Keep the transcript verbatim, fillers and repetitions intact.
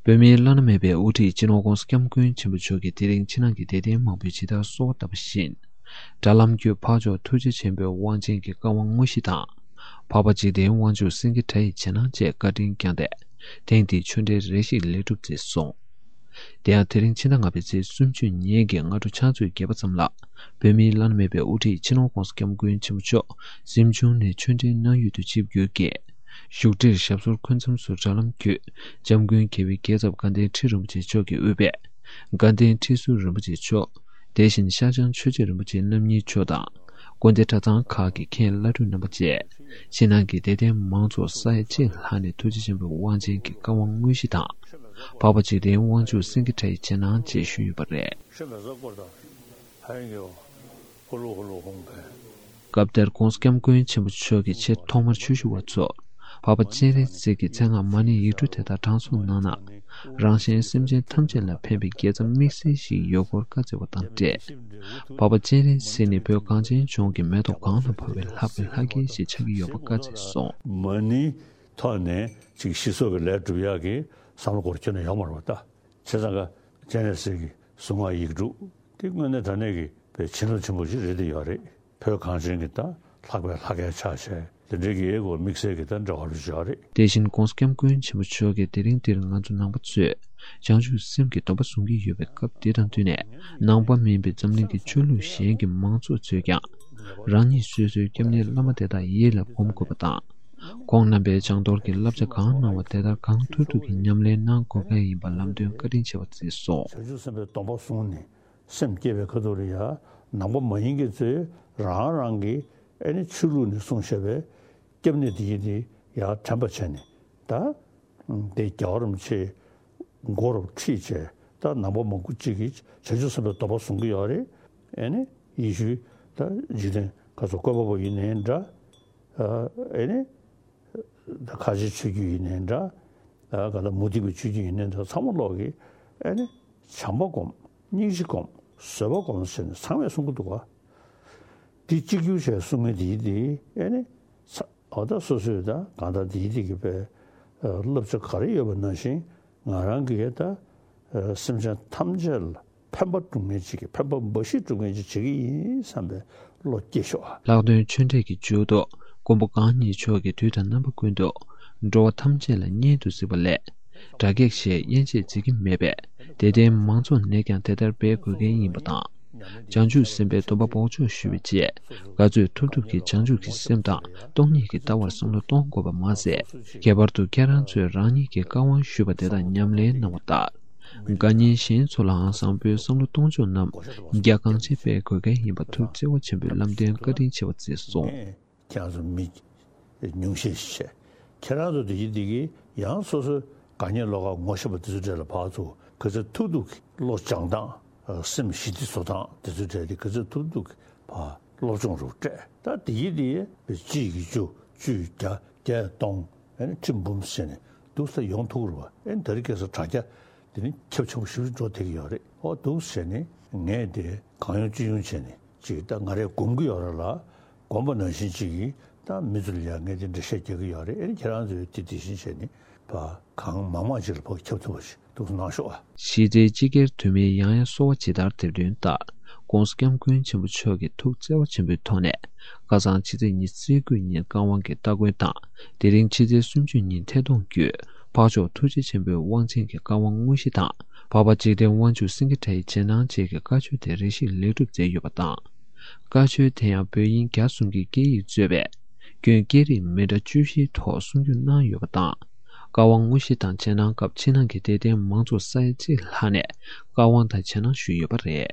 བོད་མིའི་བླ་ན་མེད་པའི་དབུ་ཁྲིད་སྤྱི་ནོར་༧གོང་ས་༧སྐྱབས་མགོན་ཆེན་པོ་མཆོག་གིས་དེ་རིང་ཕྱི་ནང་གི་དད་ལྡན་མང་པོས་ཇི་ལྟར་གསོལ་བ་བཏབ་པ་བཞིན། དགྲ་ལྷ་མགོན་འཕགས་མཆོག་ཐུགས་རྗེ་ཆེན་པོའི་དབང་ཆེན་གྱི་བཀའ་དབང་དངོས་གཞི་དང་། འཕགས་པ་འཇིག་རྟེན་དབང་ཕྱུག་སེང་གེ་གྲྭ་ཡི་རྗེས་གནང་བཅས་བཀའ་དྲིན་བསྐྱངས་ཏེ། ཐེངས་འདིའི་ཆོས་འབྲེལ་རེ་ཞིག་ལེགས་གྲུབ་མཛད་སོང་། དེ་ཡང་དེ་རིང་ཕྱི་ཟླ་ལྔ་པའི་ཚེས་སུམ་ཅུ་ཉིན་གྱི་སྔ་དྲོ་ཆུ་ཚོད་བརྒྱད་པ་ཙམ་ལ། བོད་མིའི་བླ་ན་མེད་པའི་དབུ་ཁྲིད་སྤྱི་ནོར་༧གོང་ས་༧སྐྱབས་མགོན་ཆེན་པོ་མཆོག་གཟིམ་ཆུང་ནས་ཆོས་འབྲེལ་གནང་ཡུལ་དུ་ཆིབས་བསྒྱུར་གྱིས། བཞུགས་ཁྲིར་ཞབས་སོར་འཁོད་མཚམས་སུ་དྲ་ལམ་བརྒྱུད། འཇམ་མགོན་དགེ་བའི་རྒྱལ་ཚབ་དགའ་ལྡན་ཁྲི་རིན་པོ་ཆེ་མཆོག་གིས་དབུས་པའི་དགའ་ལྡན་ཁྲི་ཟུར་རིན་པོ་ཆེ་མཆོག་དེ་བཞིན་ཤར་བྱང་ཆོས་རྗེ་རིན་པོ་ཆེ་རྣམ་གཉིས་མཆོག་དང་། དགོན་སྡེ་གྲྭ་ཚང་ཁག་གི་མཁན་བླ་སྤྲུལ་རྣམ་པ་བཅས། ཕྱི་ནང་གི་དད་ལྡན་མང་ཚོགས་ས་ཡ་གཅིག་ལྷག་ནས་ཐུགས་རྗེ་ཆེན་པོའི་དབང་ཆེན་གྱི་བཀའ་དབང་དངོས་གཞི་དང་། འཕགས་པ་འཇིག་རྟེན་དབང་ཕྱུག་སེང་གེ་གྲྭ་ཡི་རྗེས་གནང་བཅས་ཞུས་ཡོད་པ་རེད། སྐབས་དེར་༧གོང་ས་༧སྐྱབས་མགོན་ཆེན་པོ་མཆོག་གིས་ཆེས་ཐོག་མར་ཆོས་ཞུ་བ་ཚོར། འཕགས་པ་སྤྱན་རས་གཟིགས་ཀྱི་མཚན་སྔགས་མ་ཎི་ཡིག་འབྲུ་དེ་དག་དྲང་སྲོང་གནང་ན། རང་གཞན་སེམས་ཅན་ཐམས་ཅད་ལ་ཕན་པའི་དགེ་རྩ་དམིགས་བསལ་ཞིག་ཡོད་སྐོར་བཀའ་སྩལ་བ་དང་འབྲེལ། འཕགས་པ་སྤྱན་རས་གཟིགས་ནི་བོད་གངས་ཅན་ལྗོངས་ཀྱི་མེ་ཏོག་གང་ལ་ཕབ་པའི་ལྷག་པའི་ལྷ་སྐལ་ཞིག་ཆགས་ཀྱི་ཡོད་པ་བཀའ་སྩལ་སོང་། མ་ཎིའི་ཐོག་ནས་ཅིག་ཞི་སོགས་ཀྱི་ལས་སྒྲུབ་ཡག་གི་བསམ་བློ་སྐོར་ཁྱོན་ནས་ཡོང་མ་རེད་པ་ད། བྱས་ཙང་ཀ་སྤྱན་རས་གཟིགས་ཀྱི་གཟུངས་སྔགས་ཡིག་འབྲུ་དེ་དངོས་གནས་དྲང་གནས་ཀྱི་བའི་བྱིན་རླབས་ཆེན་པོ་ཞིག་རེད་དེ་ཡོད་རེད། བོད་གངས་ཅན་གྱི་ད་ལྷག་པའི་ལྷ་སྐལ་ཆགས་བྱས་དེ་འདྲའི་གི་ཨེ་གོ་དམིགས་བསལ་གྱི་ད་འབྲེལ་བ་རུ་བྱས་རེད། དེ་བཞིན་༧གོང་ས་༧སྐྱབས་མགོན་ཆེན་པོ་མཆོག་གིས་དེ་རིང་འདིར་ང་ཚོ་ནང་པ་ཚོས་བྱང་ཆུབ་སེམས་ཀྱི་སྡོམ་པ་བཟུང་གི་ཡོད་པའི་སྐབས་འདི་དང་བསྟུན་ནས། ནང་པ་མིན་པའི་འཛམ་གླིང་གི་ཆོས་ལུགས་གཞན་གྱི་མང་ཚོགས་ཚོས་ཀྱང་། རང་ཉིད་སོ་སོའི་སྐྱབས་གནས་བླ་མ་དེ་དག་ཡིད་ལ་སྒོམ་དགོས་པ་དང་། ཁོང་རྣམ་པས་བྱང་དོར་གྱི་བསླབ་བྱ་གང་གནང་བ་དེ་ལྟར་གང་ཐུབ་ཐུབ་ཀྱིས་ཉམས་ལེན་གནང་དགོས་གལ་ཡིན་པ་ལམ་སྟོན་བཀའ་དྲིན་ཆེ་བ་གསུངས་སོང་། བྱང་ཆུབ་སེམས་དཔའི་སྡོམ་པ་བཟུང་ནས་སེམས་བསྐྱེད་པའི་ཁ་ཐུག་ལ་ཡ་ནང་པ་མ་ཡིན་མཁན་ཚོས་རང་རང་གི་ཨེ་ནི་ཆོས་ལུགས་ནས་གསུངས་བཞག་པའི་སྐྱབས་གནས་དེ་ཡིན་དེ་ཡ་དྲན་པ་བྱས་ནས་ད་དེ་རྒྱལ་བ་རིན་པོ་ཆེ། མགོ་རུ་ཁྲིད་བྱས་ད་ནང་པ་མང་པོ་གཅིག་གིས་བྱང་ཆུབ་སེམས་དཔའི་སྡོམ་པ་བཟུང་གི་ཡོད་རེད། ཨེ་ནི་ཡེ་ཤུའི་ད་འཇིག་རྟེན་ཁ་སོ་བཀོད་པ་པོ་ཡིན་ནའི་འདྲ། ཨེ་ནི་ད་ཁ་ཆེའི་ཆོས་བརྒྱུད་ཡིན་ནའི་འདྲ། ག་ད་མུ་སྟེགས་པའི་ཆོས་བརྒྱུད་ཡིན་ནའི་འདྲ་ཚང་མ་ལོག་གིས་ཨེ་ནི་བྱམས་པ་སྒོམ། སྙིང་རྗེ་སྒོམ། བཟོད་པ་སྒོམ་ཟེར་ནས་ཚང་མས་གསུང་གི་འདུག་ག། འདི་གཅིག་གྱུར་བྱས་གསུང་མཁན་དེ་ཡིན་དེ་ཨེ་ནི་ཚ། འོ་ད་སོ་སོས་ད་གང་ལྟར་དེའི་ཐད་ཀྱི་པའི་བསླབ་བྱ་ག་རེ་ཡོད་པ་ནང་བཞིན་ང་རང་གིས་ད་སེམས་ཅན་ཐམས་ཅད་ལ་ཕན་པ་སྒྲུབ་མཁན་ཅིག་གི་ཕན་པ་འབའ་ཞིག་སྒྲུབ་མཁན་ཅིག་བྱེད་ཀྱི་ཡིན་བསམ་པའི་བློ་སྐྱེ་ཤོག་ཨ། ལྷག་དོན་ཆོས་འབྲེལ་གྱི་མཇུག་ཏུ་མགོན་པོ་གང་ཉིད་མཆོག་གིས་དུས་དང་རྣམ་པ་ཀུན་ཏུ་འགྲོ་བ་ཐམས་ཅད་ལ་གཉེན་དུ་གཟིགས་པ་ལས། དགྲ་བགེགས་ཞེས་དབྱེ་འབྱེད་མཛད་ཀྱི་མེད་པས་དད་ལྡན་མང་ཚོགས་ནས་ཀྱང་དེ་ལྟར་འབད་དགོས་གལ་ཡིན་པ་དང་། བྱང་ཆུབ་སེམས་དཔའི་སྡོམ་པ་འབོགས་ཆོག་ཞུ་བའི་ཆེད་ག་ཚོད་ཐུབ་ཐུབ་ཀྱིས་བྱང་ཆུབ་ཀྱི་སེམས་དང་སྟོང་ཉིད་ཀྱི་ལྟ་བར་བསམ་བློ་གཏོང་དགོས་པ་མ་ཟད། ཁྱད་པར་དུ་ཁྱེད་རང་ཚོས་རང་ཉིད་ཀྱི་བཀའ་དབང་ཞུས་པ་དེ་དག་ཉམས་ལེན་གནང་བ་ལྟར། དགའ་ཉེ་གཞན་ཚོ་ལའང་བཟང་པོའི་བསམ་བློ་གཏོང་ཕྱོགས་རྣམས་རྒྱ་གང་ཆེ་སྤེལ་དགོས་གལ་ཡིན་པ་ཐུགས་བརྩེ་བ་ཆེན་པོས་ལམ་སྟོན་བཀའ་དྲིན་ཆེ་བ་མཛད་སོང་། ཁྱེད་རང་ཚོ་མི་ཉུང་ཤས་ཤིག་བྱས། ཁྱེད་རང་ཚོ་དེ་གི་དེ་གི་ཡང་སོ་སོའི་དགའ་ཉེ་བློ་དགའ་ངོ་ཤེས་པ་དེ་ཚོ་གྲས་ལ་ཕར་ཚུར་ག་ཚོད་ཐུབ་ཐུབ་ཀྱིས་བློ་སྦྱང་སྟངས། སེམས་ཞི་བདེ་བཟོ་སྟངས་དེ་ཚོ་གྲས་དེ་ག་ཚོད་ཐུབ་ཐུབ་ཀྱིས་ཕར་སློབ་སྦྱོང་རུ་སྤྲད། ད་དེ་གི་དེ་གཅིག་གིས་བཅུ། བཅུས་བརྒྱ། བརྒྱས་སྟོང་། ཨེ་ནི་ཁྲི་འབུམ་བྱས་ནས་འདུག་ས་ཡོང་ཐུབ་རུ་བ། ཨེ་ནི་ད་རེས་ཁ་སང་དྲ་རྒྱ་དེ་ནི་ཁྱབ་ཆེན་པོ་ཞེ་པོ་ཅིག་འགྲོ་བསྡད་ཀྱི་ཡོད་རེད། ཨོ་འདུག་བྱས་ནས་ངས་དེ་གང་ཡོང་ཅི་ཡོང་བྱས་ནས། ཅིག་ད་ང་རས་སྒོམ་གྱི་ཡོད་རེད་ལ། སྒོམ་པ་ནང་བཞིན་ཅིག་གིས་ད་མི་ཚོ་ལ་ཡང་ངས་དེ་འགྲེལ་བཤད་རྒྱག་གི་ཡོད་རེད། ཨེ་ནི་ཁྱེད་རང་ཚོས་དེ་དེ་བཞིན་བྱས་ནས་ཕར་གང་མང་མང་ཅིག་ལ་ཕར་ཁྱབ་ཐུབ་པ་ཞིག་འདུག་གནང་ཤོག་ཨ། གཞི་རྩའི་སྤྱི་སྒེར་འཐུས་མིའི་ཡང་ཡང་གསོལ་བ་ཇི་ལྟར་འདེབས་དོན་ལྟར། ༸གོང་ས་༸སྐྱབས་མགོན་ཆེན་པོ་མཆོག་གིས་ཐུགས་བརྩེ་བ་ཆེན་པོའི་ཐོག་ནས། ཁ་སང་ཕྱི་ཚེས་ཉི་ཤུ་རྩ་དགུ་ཉིན་བཀའ་དབང་གི་སྟ་གོན་དང་། དེ་རིང་ཕྱི་ཚེས་སུམ་ཅུ་ཉིན་ཐད་གཏོང་བརྒྱུད། འཕགས་མཆོག་ཐུགས་རྗེ་ཆེན་པོའི་དབང་ཆེན་གྱི་བཀའ་དབང་དངོས་གཞི་དང་། འཕགས་པ་འཇིག་རྟེན་དབང་ཕྱུག་སེང་གེ་གྲྭ་ཡི་རྗེས་གནང་བཅས་ཀྱི་བཀའ་ཆོས་དེ་རེ་ཞིག་ལེགས་གྲུབ་མཛད་ཡོད་པ་དང་། བཀའ་ཆོས་དེ་ཡང་བོད་དབྱིན་རྒྱ་གསུམ་གྱི་སྐད་ཡིག་གཙོས་པའི་སྐྱོན་སྐད་རིགས་མི་འདྲ་བཅུ་བཞིའི་ཐོག་གསུང་བསྒྱུར་གནང་ཡོད་པ་དང་། བཀའ་དབང་དངོས་གཞི་དང་རྗེས་གནང་སྐབས་ཕྱི་ནང་གི་དད་ལྡན་མང་ཚོགས་ས་ཡ་གཅིག་ལྷག་ནས་བཀའ་དབང་དང་རྗེས་གནང་ཞུས་ཡོད་པ་རེད།